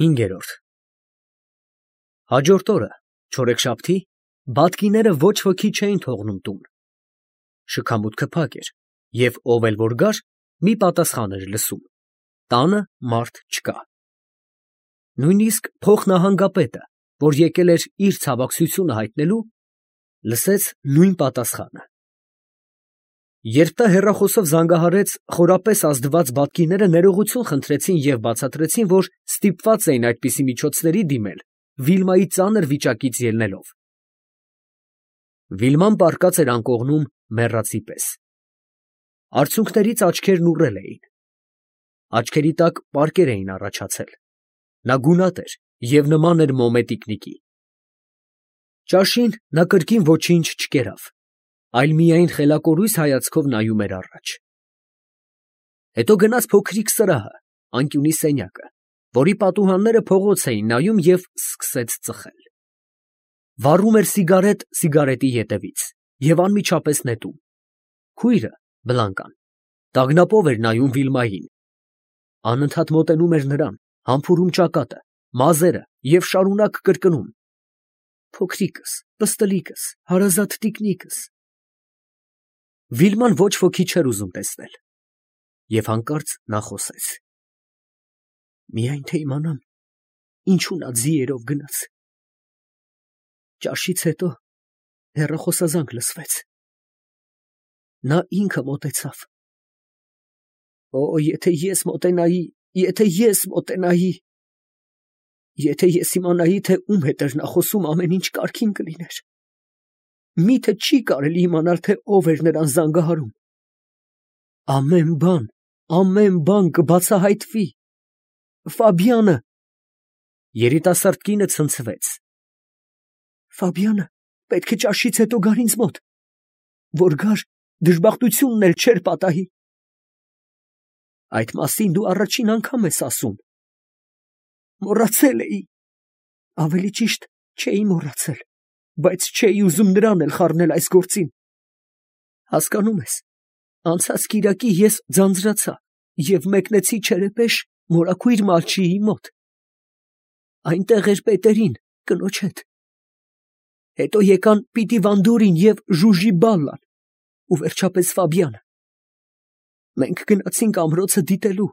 5։ Հաջորդ օրը, չորեքշաբթի, բատկիները ոչ ոքի չէին թողնում տուն. շքամուտքը փակ էր, և ով էլ որ գար, մի պատասխան էր լսում. տանը մարդ չկա։ Նույնիսկ փոխնահանգապետը, որ եկել էր իր ցավակցությունը հայտնելու, լսեց նույն պատասխանը։ Երբ նա հեռախոսով զանգահարեց, խորապես ազդված բատկիները ներողություն խնդրեցին և բացատրեցին, որ ստիպված էին այդպիսի միջոցների դիմել, Վիլմայի ծանր վիճակից ելնելով։ Վիլման պառկած էր անկողնում մեռածի պես։ Արցունքներից աչքերն ուռել էին։ Աչքերի տակ պարկեր էին առաջացել։ Նա գունատ էր և նման էր մոմե տիկնիկի։ Ճաշին նա կրկին ոչինչ չկերավ, այլ միայն խելակորույս հայացքով նայում էր առաջ։ Հետո գնաց փոքրիկ սրահը, անկյունի սենյակը, որի պատուհանները փողոց էին նայում և սկսեց ծխել։ Վառում էր սիգարետ սիգարետի ետևից և անմիջապես նետում։ Քույրը, Բլանկան, տագնապով էր նայում Վիլմային, անընդհատ մոտենում էր նրան, համբուրում ճակատը, մազերը և շարունակ կրկնում. «Փոքրիկս, պստլիկս, հարազատ տիկնիկս»։ Վիլման ոչ ոքի չէր ուզում տեսնել, և հանկարծ նա խոսեց. «Միայն թե իմանամ, ինչու նա ձիերով գնաց»։ Ճաշից հետո հեռախոսազանգ լսվեց։ Նա ինքը մոտեցավ։ «Օ, եթե ես մոտենայի, եթե ես մոտենայի… Եթե ես իմանայի, թե ում հետ էր նա խոսում, ամեն ինչ կարգին կլիներ… Մի՞թե չի կարելի իմանալ, թե ով էր նրան զանգահարում… Ամեն բան կբացահայտվի… Ֆաբիանը…» Երիտասարդ կինը ցնցվեց։ «Ֆաբիանը պետք է ճաշից հետո գար ինձ մոտ… Որ գար, դժբախտությունն էլ չէր պատահի… Այդ մասին դու առաջին անգամ ես ասում… Մոռացել էի… Ավելի ճիշտ, չէի մոռացել, բայց չէի ուզում նրան էլ խառնել այս գործին… Հասկանում ես, անցած կիրակի ես ձանձրացա և մեկնեցի Չերեպեշ մորաքույր Մալչիի մոտ… Այնտեղ էր Պետերին, կնոջ հետ… Հետո եկան Պիտիվանդորին և Ժուժիբալլան ու վերջապես Ֆաբիանը… Մենք գնացինք ամրոցը դիտելու,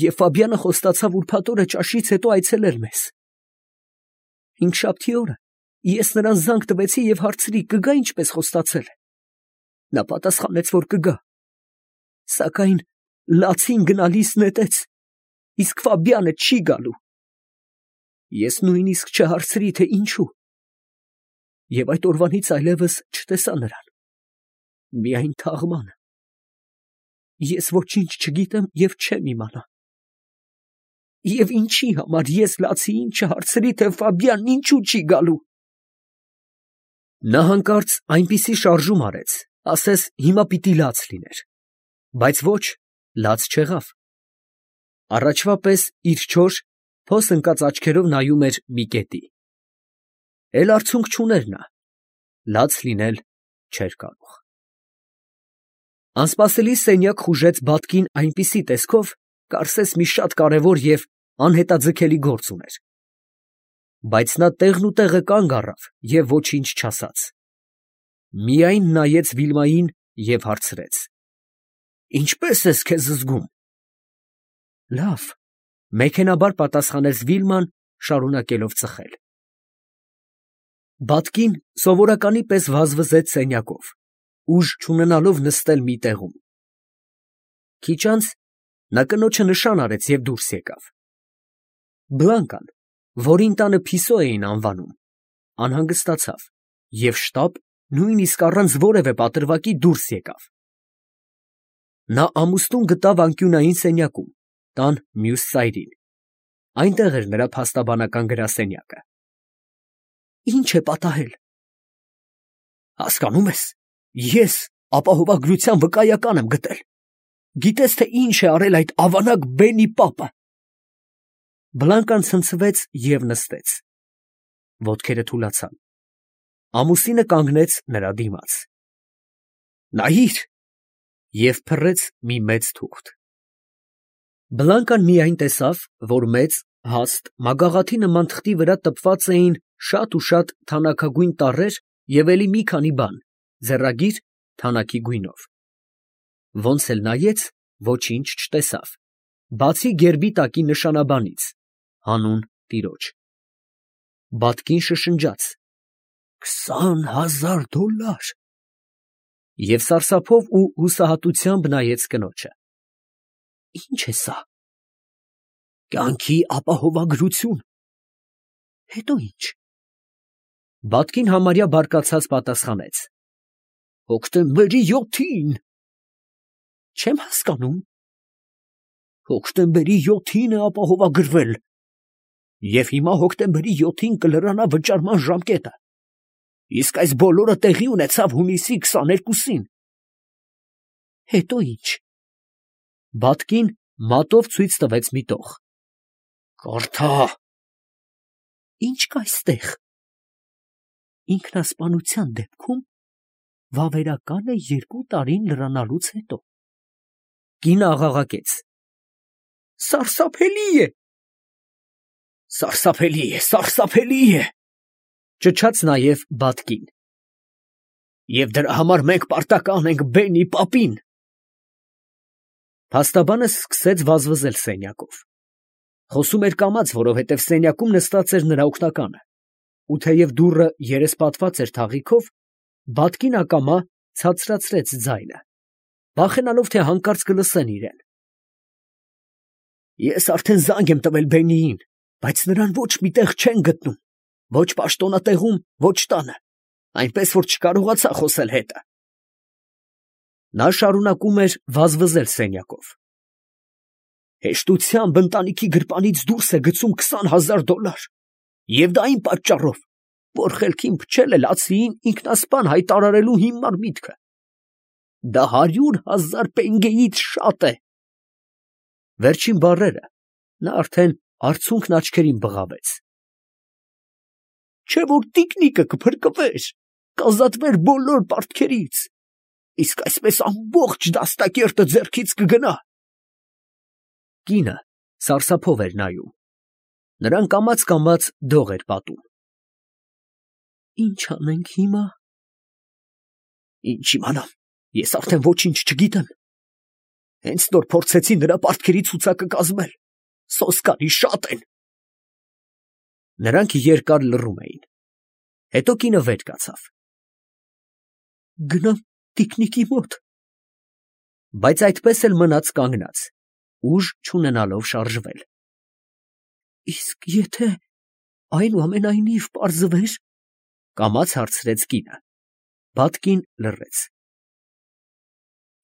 և Ֆաբիանը խոստացավ ուրբաթ օրը ճաշից հետո այցելել մեզ… Հինգշաբթի օրը ես նրան զանգ տվեցի և հարցրի՝ կգա ինչպես խոստացել է… Նա պատասխանեց, որ կգա… Սակայն լացին գնալիս նետեց, իսկ Ֆաբիանը չի գալու… Ես նույնիսկ չհարցրի, թե ինչու… Եվ այդ օրվանից այլևս չտեսա նրան… Միայն թաղմանը… Ես ոչինչ չգիտեմ և չեմ իմանա… Եվ ինչի համար ես լացիին չհարցրի, թե Ֆաբիանն ինչու չի գալու… Նա հանկարծ այնպիսի շարժում արեց, ասես հիմա պիտի լաց լիներ… Բայց ոչ, լաց չեղավ… Առաջվա պես իր չոր, փոս ընկած աչքերով նայում էր մի կետի… Էլ արցունք չուներ նա… Լաց լինել չէր կարող… Անսպասելի սենյակ խուժեց բատկին այնպիսի տեսքով, կարծես մի շատ կարևոր և անհետաձգելի գործ ուներ… Բայց նա տեղնուտեղը կանգ առավ և ոչինչ չասաց… Միայն նայեց Վիլմային և հարցրեց. «Ինչպե՞ս ես քեզ զգում»։ «Լավ», մեքենաբար պատասխանեց Վիլման, շարունակելով ծխել… Բատկին սովորականի պես վազվզեց սենյակով, ուժ չունենալով նստել մի տեղում… Քիչ անց նա կնոջը նշան արեց և դուրս եկավ… Բլանկան, որին տանը Փիսո էին անվանում, անհանգստացավ և շտապ, նույնիսկ առանց որևէ պատրվակի դուրս եկավ… Նա ամուսնուն գտավ անկյունային սենյակում, տան մյուս ծայրին… Այնտեղ էր նրա փաստաբանական գրասենյակը… «Ի՞նչ է պատահել»։ «Հասկանում ես, ես ապահովագրության վկայական եմ գտել… Գիտես, թե ինչ է արել այդ ավանակ Բենի պապը…»։ Բլանկան ցնցվեց և նստեց… Ոտքերը թուլացան… Ամուսինը կանգնեց նրա դիմաց… «Նայիր» և փռեց մի մեծ թուղթ… Բլանկան միայն տեսավ, որ մեծ Հաստ մագաղաթի նման թղթի վրա տպված էին շատ ու շատ թանաքագույն տառեր և էլի մի քանի բան, ձեռագիր, թանաքի գույնով։ Ոնց էլ նայեց, ոչինչ չտեսավ, բացի գերբի տակի նշանաբանից, հանուն տիրոջ։ Բատկին շշնջաց. $20,000 և սարսափով ու հուսահատությամբ նայեց կնոջը։ Ի՞նչ է սա։ Կյանքի ապահովագրություն։ Հետո ի՞նչ։ Բատկին համարյա բարկացած պատասխանեց. Հոկտեմբերի 7-ին։ Չեմ հասկանում։ Հոկտեմբերի 7-ին է ապահովագրվել։ Եվ հիմա հոկտեմբերի 7-ին կլրանա վճարման ժամկետը։ Իսկ այս բոլորը տեղի ունեցավ հունիսի 22-ին։ Հետո ի՞նչ։ Բատկին մատով ցույց տվեց մի տող։ Կարդա։ Ի՞նչ կա այստեղ։ Ինքնասպանության դեպքում վավերական է 2 տարին լրանալուց հետո։ Կինը աղաղակեց. Սարսափելի է։ Սարսափելի է, սարսափելի է, ճչաց նաև Բատկին։ Եվ դրա համար մենք պարտական ենք Բենի պապին։ Փաստաբանը սկսեց վազվզել սենյակով։ Խոսում էր կամաց, որովհետև սենյակում նստած էր նրա օգնականը, ու թեև դուռը երեսպատված էր թաղիքով, Բատկին ակամա ցածրացրեց ձայնը, վախենալով, թե հանկարծ կլսեն իրեն։ Ես արդեն զանգ եմ տվել Բենիին, բայց նրան ոչ մի տեղ չեն գտնում, ոչ պաշտոնատեղում, ոչ տանը, այնպես որ չկարողացա խոսել հետը։ Նա շարունակում էր վազվզել սենյակով։ Հեշտությամբ ընտանիքի գրպանից դուրս է գցում $20,000, և դա այն պատճառով, որ խելքին փչել է Լացիին ինքնասպան հայտարարելու հիմար միտքը։ Դա 100,000 պենգեից շատ է։ Վերջին բառերը նա արդեն արցունքն աչքերին բղավեց։ Չէ որ տիկնիկը կփրկվեր, կազատվեր բոլոր պարտքերից, իսկ այսպես ամբողջ դաստակերտը ձեռքից կգնա։ Կինը սարսափով էր նայում։ Նրան կամաց դող էր պատում։ Ինչ անենք հիմա։ Ինչ իմանամ, ես արդեն ոչինչ չգիտեմ։ Հենց նոր փորձեցի նրա պարտքերի ցուցակը կազմել, սոսկալի շատ են։ Նրանք երկար լռում էին։ Հետո կինը վեր կացավ։ Գնամ տիկնիկի մոտ։ Բայց այդպես էլ մնաց կանգնած, ուժ չունենալով շարժվել։ Իսկ եթե այնուամենայնիվ պարզվեր, կամաց հարցրեց կինը։ Բատկին լռեց։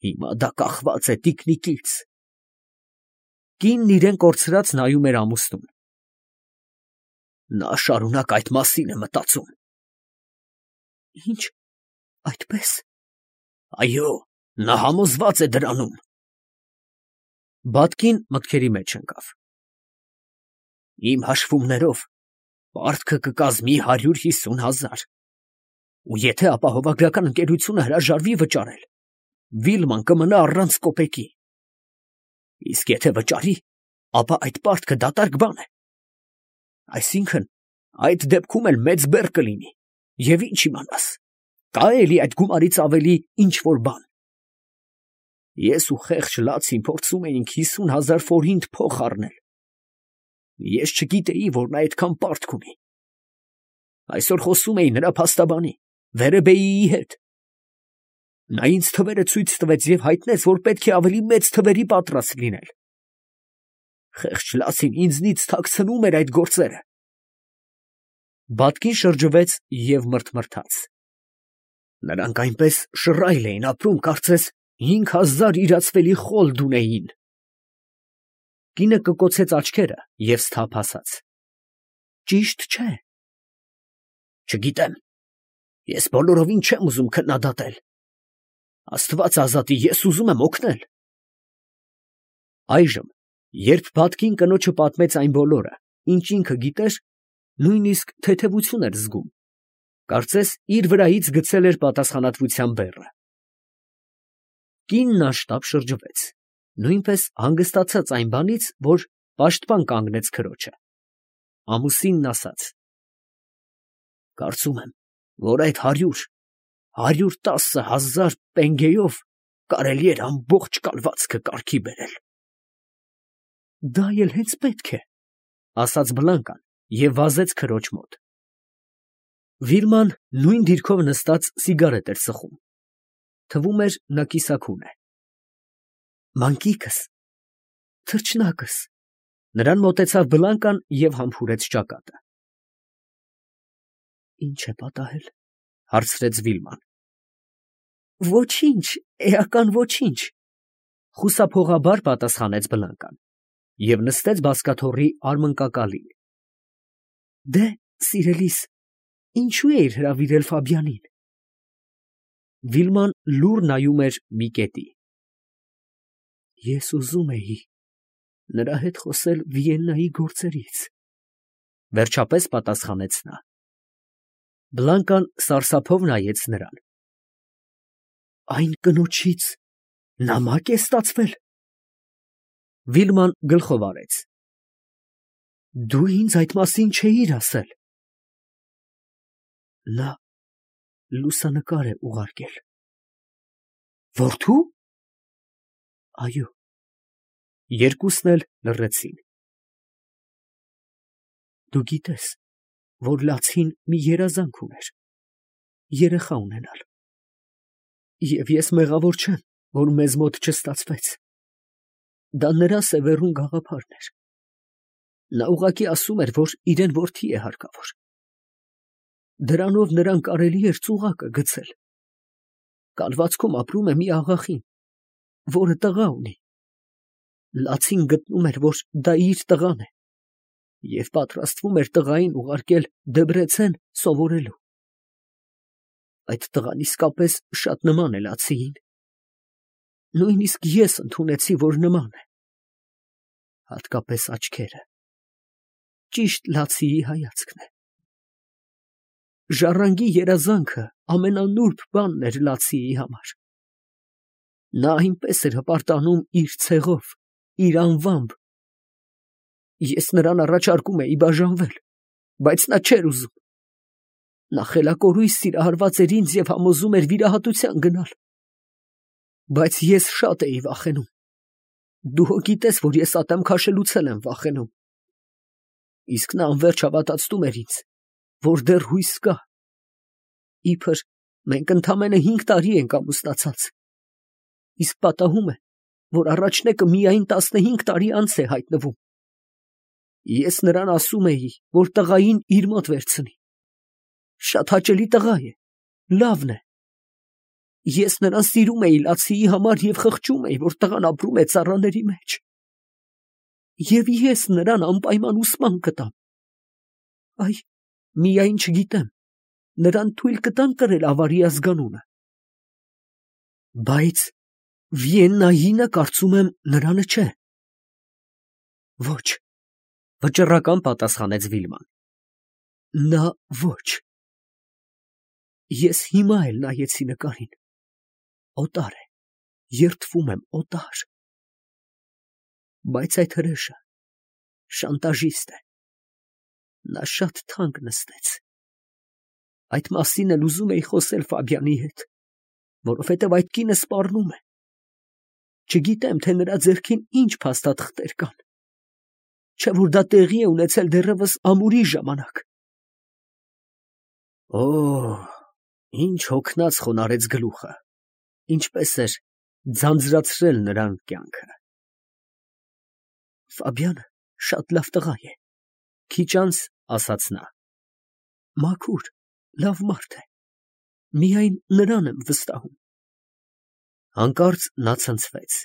Հիմա դա կախված է տիկնիկից։ Կինն իրեն կորցրած նայում էր ամուսնուն։ Նա շարունակ այդ մասին է մտածում։ Ինչ, այդպես։ Այո, նա համոզված է դրանում։ Բատկին մտքերի մեջ ընկավ։ Իմ հաշվումներով պարտքը կկազմի 150,000, ու եթե ապահովագրական ընկերությունը հրաժարվի վճարել, Վիլման կմնա առանց կոպեկի։ Իսկ եթե վճարի, ապա այդ պարտքը դատարկ բան է։ Այսինքն, այդ դեպքում էլ մեծ բեռ կլինի, և ինչ իմանաս, կա էլի այդ գումարից ավելի ինչ-որ բան։ Ես ու խեղճ Լացին փորձում էինք 50,000 ֆորինտ փող առնել։ Ես չգիտեի, որ նա այդքան պարտք ունի։ Այսօր խոսում էի նրա փաստաբանի, Վերեբեիի հետ։ Նա ինձ թվերը ցույց տվեց և հայտնեց, որ պետք է ավելի մեծ թվերի պատրաստ լինել։ Խեղճ Լացին ինձնից թաքցնում էր այդ գործերը։ Բատկին շրջվեց և մռթմռթաց։ Նրանք այնպես շռայլ էին ապրում, կարծես 5,000 իրացվելի խոլդ ունեին։ Կինը կկոցեց աչքերը և սթափ ասաց. Ճիշտ չէ։ Չգիտեմ, ես բոլորովին չեմ ուզում քննադատել։ Աստված ազատի, ես ուզում եմ օգնել։ Այժմ, երբ Բատկին կնոջը պատմեց այն բոլորը, ինչ ինքը գիտեր, նույնիսկ թեթևություն էր զգում, կարծես իր վրայից գցել էր պատասխանատվության բեռը։ Կինն անշտապ շրջվեց, նույնպես հանգստացած այն բանից, որ պաշտպան կանգնեց քրոջը։ ամուսինն ասաց. Կարծում եմ, որ այդ 110,000 պենգեով կարելի էր ամբողջ կալվածքը կարգի բերել։ Դա էլ հենց պետք է, ասաց Բլանկան և վազեց քրոջ մոտ։ Վիլման նույն դիրքով նստած սիգարետ էր ծխում։ Թվում էր, նա կիսաքուն է։ Մանկիկս, թռչնակս, նրան մոտեցավ Բլանկան և համբուրեց ճակատը։ Ինչ է պատահել, հարցրեց Վիլման։ Ոչինչ, էական ոչինչ, խուսափողաբար պատասխանեց Բլանկան և նստեց բազկաթոռի արմնկակալին։ Դե, սիրելիս, ինչու էիր հրավիրել Ֆաբյանին։ Վիլման լուռ նայում էր մի կետի։ Ես ուզում էի նրա հետ խոսել Վիեննայի գործերից, վերջապես պատասխանեց նա։ Բլանկան սարսափով նայեց նրան։ Այն կնոջից նամակ է ստացվել։ Վիլման գլխով արեց։ Դու ինձ այդ մասին չէիր ասել։ Նա լուսանկար է ուղարկել։ Որդու։ Այո։ Երկուսն էլ լռեցին։ Դու գիտես, որ Լացին մի երազանք ուներ, երեխա ունենալ։ Եվ ես մեղավոր չեմ, որ մեզ մոտ չստացվեց։ Դա նրա սևեռուն գաղափարն էր։ Նա ուղղակի ասում էր, որ իրեն որդի է հարկավոր։ Դրանով նրան կարելի էր ծուղակը գցել։ Կալվածքում ապրում է մի աղախին, որը տղա ունի։ Լացին գտնում էր, որ դա իր տղան է, և պատրաստվում էր տղային ուղարկել Դեբրեցեն սովորելու։ Այդ տղան իսկապես շատ նման է Լացիին։ Նույնիսկ ես ընդունեցի, որ նման է։ Հատկապես աչքերը։ Ճիշտ Լացիի հայացքն է։ Ժառանգի երազանքը ամենանուրբ բանն էր Լացիի համար։ Նա այնպես էր հպարտանում իր ցեղով, իր անվամբ։ Ես նրան առաջարկում էի բաժանվել, բայց նա չէր ուզում։ Նա խելակորույս սիրահարված էր ինձ և համոզում էր վիրահատության գնալ։ Բայց ես շատ էի վախենում։ Դու հո գիտես, որ ես ատեմ քաշելուց եմ վախենում։ Իսկ նա անվերջ հավատացնում էր ինձ, որ դեռ հույս կա։ Իբր մենք ընդամենը 5 տարի ենք ամուսնացած, իսկ պատահում է, որ առաջնեկը միայն 15 տարի անց է հայտնվում։ Ես նրան ասում էի, որ տղային իր մոտ վերցնի։ Շատ հաճելի տղա է, լավն է։ Ես նրան սիրում էի Լացիի համար և խղճում էի, որ տղան ապրում է ծառաների մեջ։ Եվ ես նրան անպայման ուսման կտամ։ Այ, միայն չգիտեմ, նրան թույլ կտան կրել ավարի ազգանունը։ Բայց Վիեննայինը, կարծում եմ, նրանը չէ։ Ոչ, վճռական պատասխանեց Վիլման։ Նա ոչ։ Ես հիմա էլ նայեցի նկարին։ Օտար է, երդվում եմ, օտար։ Բայց այդ հրեշը շանտաժիստ է։ Նա շատ թանկ նստեց։ Այդ մասին էլ ուզում էի խոսել Ֆաբյանի հետ, որովհետև այդ կինը սպառնում է։ Չգիտեմ, թե նրա ձեռքին ինչ փաստաթղթեր կան։ Չէ՞ որ դա տեղի է ունեցել դեռևս ամուրի ժամանակ։ Օ, ինչ հոգնած խոնարհեց գլուխը, ինչպես էր ձանձրացրել նրան կյանքը։ Ֆաբյանը շատ լավ տղա է, քիչ անց ասաց նա։ Մաքուր, լավ մարդ է, միայն նրան եմ վստահում։ Հանկարծ նա ցնցվեց։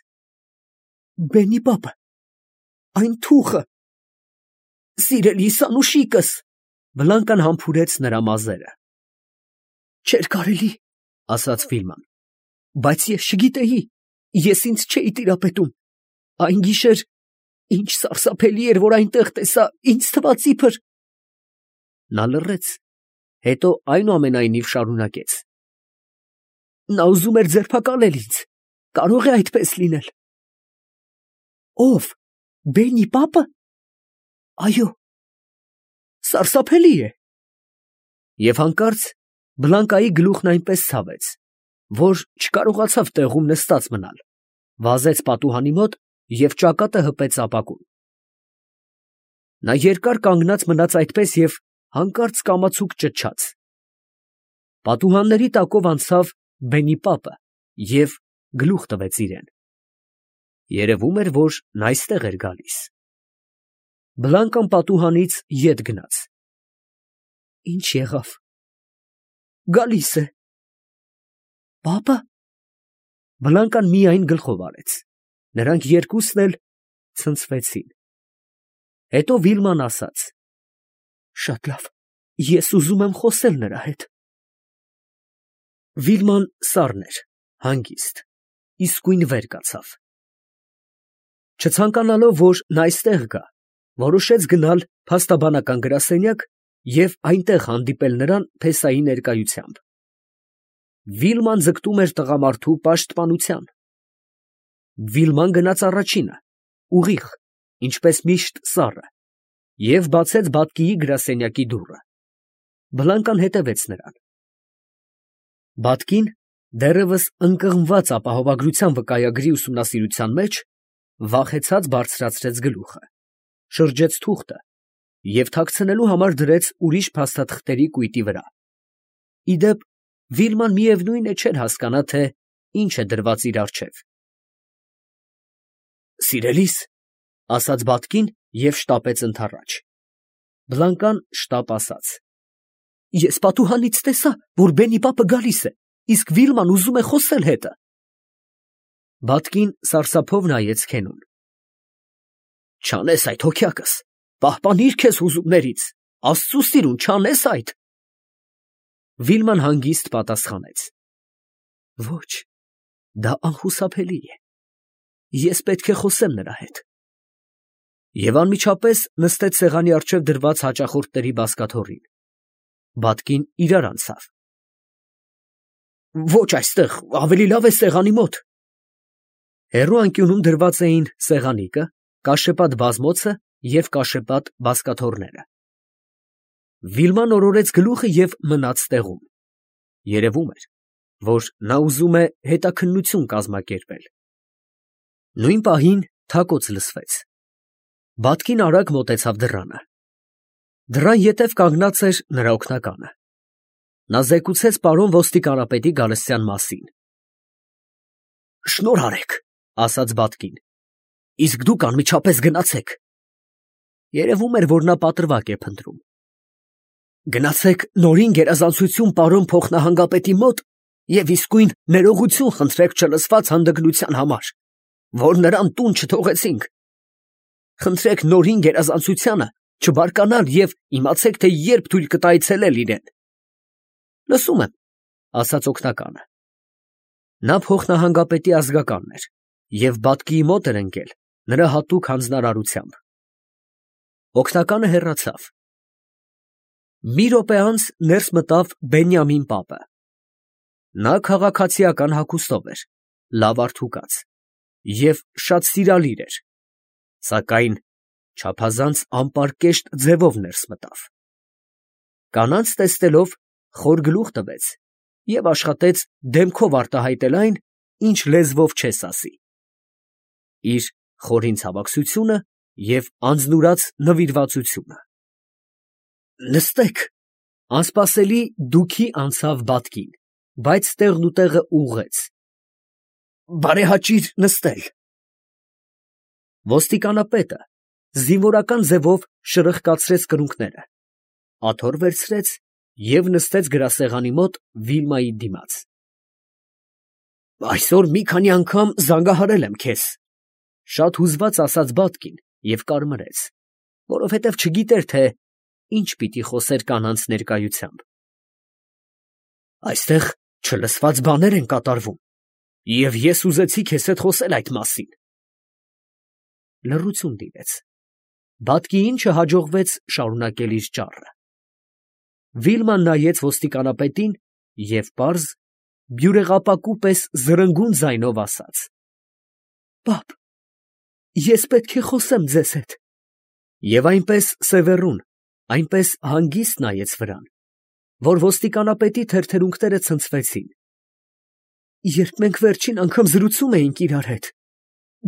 Բենի պապը, այն թուխը, սիրելիս անուշիկս։ Բլանկան համբուրեց նրա մազերը։ Չէր կարելի, ասաց Վիլման, բայց ես չգիտեի, ես ինձ չէի տիրապետում։ Այն գիշեր ինչ սարսափելի էր, որ այնտեղ տեսա, ինձ թվաց իբր… Նա լռեց, հետո այնուամենայնիվ շարունակեց. Նա ուզում էր ձերբակալել ինձ, կարող է այդպես լինել։ Ո՞վ, Բենի պապը։ Այո։ Սարսափելի է։ Եվ հանկարծ Բլանկայի գլուխն այնպես ցավեց, որ չկարողացավ տեղում նստած մնալ, վազեց պատուհանի մոտ և ճակատը հպեց ապակուն։ Նա երկար կանգնած մնաց այդպես և հանկարծ կամացուկ ճչաց։ Պատուհանների տակով անցավ Բենիպապը և գլուխ տվեց իրան։ Երևում էր, որ նա այստեղ էր գալիս։ Բլանկան պատուհանից ետ գնաց։ Ինչ եղավ։ Գալիս է։ Պապը։ Բլանկան միայն գլխով արեց։ Նրանք երկուսն էլ ցնցվեցին։ Հետո Վիլման ասաց. Շատ լավ, ես ուզում եմ խոսել նրա հետ։ Վիլման սառն էր, հանգիստ, իսկույն վեր կացավ։ Չցանկանալով, որ նա այստեղ գա, որոշեց գնալ փաստաբանական գրասենյակ և այնտեղ հանդիպել նրան փեսայի ներկայությամբ։ Վիլման ձգտում էր տղամարդու պաշտպանության։ Վիլման գնաց առաջինը, ուղիղ, ինչպես միշտ սառը, և բացեց բակիի գրասենյակի դուռը։ Բլանկան հետևեց նրան։ Բակին, դեռևս ընկղմված ապահովագրության վկայագրի ուսումնասիրության մեջ, վախեցած բարձրացրեց գլուխը, շրջեց թուղթը և թաքցնելու համար դրեց ուրիշ փաստաթղթերի կույտի վրա։ Ի դեպ, Վիլման միևնույն է չէր հասկանա, թե ինչ է դրված իր առջև։ Սիրելիս, ասաց Բատկին և շտապեց ընդառաջ։ Բլանկան շտապ ասաց. Ես պատուհանից տեսա, որ Բենիպապը գալիս է, իսկ Վիլման ուզում է խոսել հետը։ Բատկին սարսափով նայեց Քենուն։ Չանես այդ, հոգյակս, պահպանիր քեզ հուզումներից, Աստծու սիրուն, չանես այդ։ Վիլման հանգիստ պատասխանեց. Ոչ, դա անխուսափելի է։ Ես պետք է խոսեմ նրա հետ։ Եվ անմիջապես նստեց սեղանի առջև դրված հաճախորդների բազկաթոռին։ Բատկին իրար անցավ։ Ոչ այստեղ, ավելի լավ է սեղանի մոտ։ Հեռու անկյունում դրված էին սեղանիկը, կաշեպատ բազմոցը և կաշեպատ բազկաթոռները։ Վիլման օրորեց գլուխը և մնաց տեղում։ Երևում էր, որ նա ուզում է հետաքննություն կազմակերպել։ Նույն պահին թակոց լսվեց։ Բատկին արագ մոտեցավ դռանը։ Դռան ետև կանգնած էր նրա օգնականը։ Նա զեկուցեց պարոն ոստիկանապետի գալստյան մասին։ Շնորհ արեք, ասաց Բատկին, իսկ դուք անմիջապես գնացեք։ Երևում էր, որ նա պատրվակ է փնտրում։ Գնացեք նորին գերազանցություն պարոն փոխնահանգապետի մոտ և իսկույն ներողություն խնդրեք չլսված հանդգնության համար, որ նրան տուն չթողեցինք։ Խնդրեք նորին գերազանցությանը չբարկանալ և իմացեք, թե երբ թույլ կտա այցելել իրեն։ Լսում եմ, ասաց օգնականը։ Նա փոխնահանգապետի ազգականն էր և Բատկիի մոտ էր ընկել նրա հատուկ հանձնարարությամբ։ Օգնականը հեռացավ։ Մի րոպե անց ներս մտավ Բենյամին պապը։ Նա քաղաքացիական հագուստով էր, լավ արդուկած և շատ սիրալիր էր, սակայն չափազանց անպարկեշտ ձևով ներս մտավ։ Կանանց տեսնելով, խոր գլուխ տվեց և աշխատեց դեմքով արտահայտել այն, ինչ լեզվով չես ասի։ Իր խորին ցավակցությունը և անձնուրաց նվիրվածությունը։ Նստեք, անսպասելի դուքի անցավ Բատկին, բայց տեղնուտեղը ուղղեց։ Բարեհաճիր նստել։ Ոստիկանապետը զինվորական ձևով շրխկացրեց կրունկները, աթոռ վերցրեց և նստեց գրասեղանի մոտ Վիլմայի դիմաց։ Այսօր մի քանի անգամ զանգահարել եմ քեզ, շատ հուզված ասաց Բատկին և կարմրեց, որովհետև չգիտեր, թե ինչ պիտի խոսեր կանանց ներկայությամբ։ Այստեղ չլսված բաներ են կատարվում, և ես ուզեցի քեզ հետ խոսել այդ մասին։ Լռություն տիրեց։ Բատկիին չհաջողվեց շարունակել իր ճառը։ Վիլման նայեց ոստիկանապետին և պարզ, բյուրեղապակու պես զրնգուն ձայնով ասաց. Պապ, ես պետք է խոսեմ ձեզ հետ։ Եվ այնպես սևեռուն, Այնպես հանգիստ նայեց վրան, որ ոստիկանապետի թերթերունքները ցնցվեցին։ Երբ մենք վերջին անգամ զրուցում էինք իրար հետ,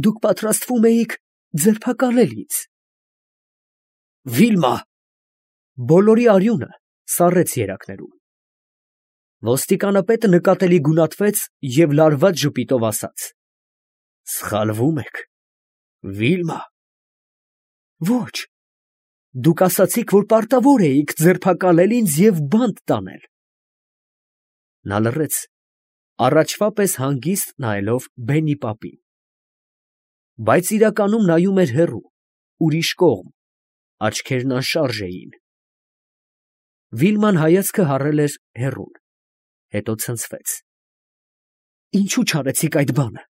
դուք պատրաստվում էիք ձերբակալել ինձ։ Վիլմա! Բոլորի արյունը սառեց երակներում։ Ոստիկանապետը նկատելի գունատվեց և լարված ժպիտով ասաց. Սխալվում եք, Վիլմա։ Ոչ, դուք ասացիք, որ պարտավոր էիք ձերբակալել ինձ և բանտ տանել։ Նա լռեց, առաջվա պես հանգիստ նայելով բենի պապին, բայց իրականում նայում էր հեռու, ուրիշ կողմ, աչքերն անշարժ էին։ Վիլման հայացքը հառել էր հեռուն, հետո ցնցվեց։ Ինչու չարեցիք այդ բանը։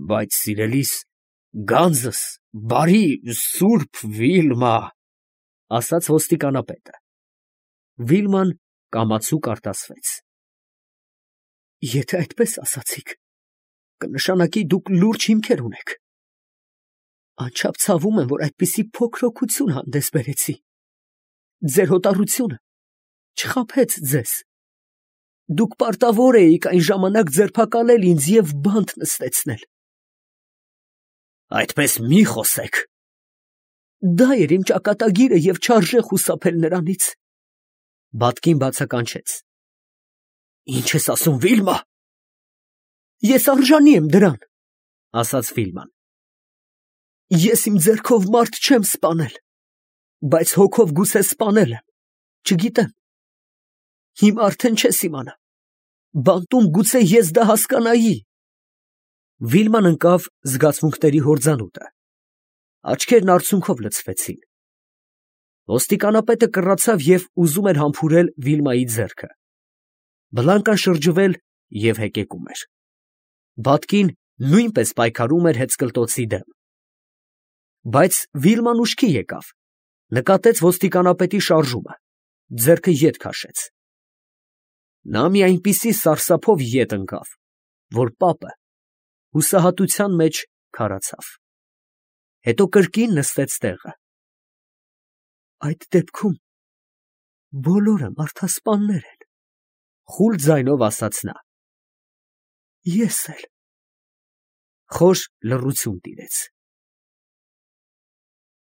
Բայց սիրելիս, գանձս, բարի, սուրբ Վիլմա, ասաց ոստիկանապետը։ Վիլման կամացուկ արտասվեց։ Եթե այդպես ասացիք, կնշանակի դուք լուրջ հիմքեր ունեք։ Անչափ ցավում եմ, որ այդպիսի փոքր օգուտություն հանդես բերեցի։ Ձեր հոտառությունը չխաբեց ձեզ։ Դուք պարտավոր էիք այն ժամանակ ձերբակալել ինձ և բանտ նստեցնել։ Այդպես մի խոսեք։ Դա էր իմ ճակատագիրը և չարժե խուսափել նրանից։ Բատկին բացականչեց։ Ինչ ես ասում, Վիլմա։ Ես արժանի եմ դրան, ասաց Վիլման։ Ես իմ ձեռքով մարդ չեմ սպանել, բայց հոգով գուցե սպանել եմ, չգիտեմ։ Հիմա արդեն չես իմանա։ Բանտում գուցե ես դա հասկանայի։ Վիլման ընկավ զգացմունքների հորձանուտը։ Աչքերն արցունքով լցվեցին։ Ոստիկանապետը կռացավ և ուզում էր համբուրել Վիլմայի ձեռքը։ Բլանկան շրջվել և հեկեկում էր։ Բատկին նույնպես պայքարում էր հեծկլտոցի դեմ։ Բայց Վիլման ուշքի եկավ, նկատեց ոստիկանապետի շարժումը, ձեռքը ետ քաշեց։ Նա մի այնպիսի սարսափով ետ ընկավ, որ պապը հուսահատության մեջ քարացավ։ Հետո կրկին նստեց տեղը։ Այդ դեպքում բոլորը մարդասպաններ են, խուլ ձայնով ասաց նա։ Ես էլ։ Խոր լռություն տիրեց։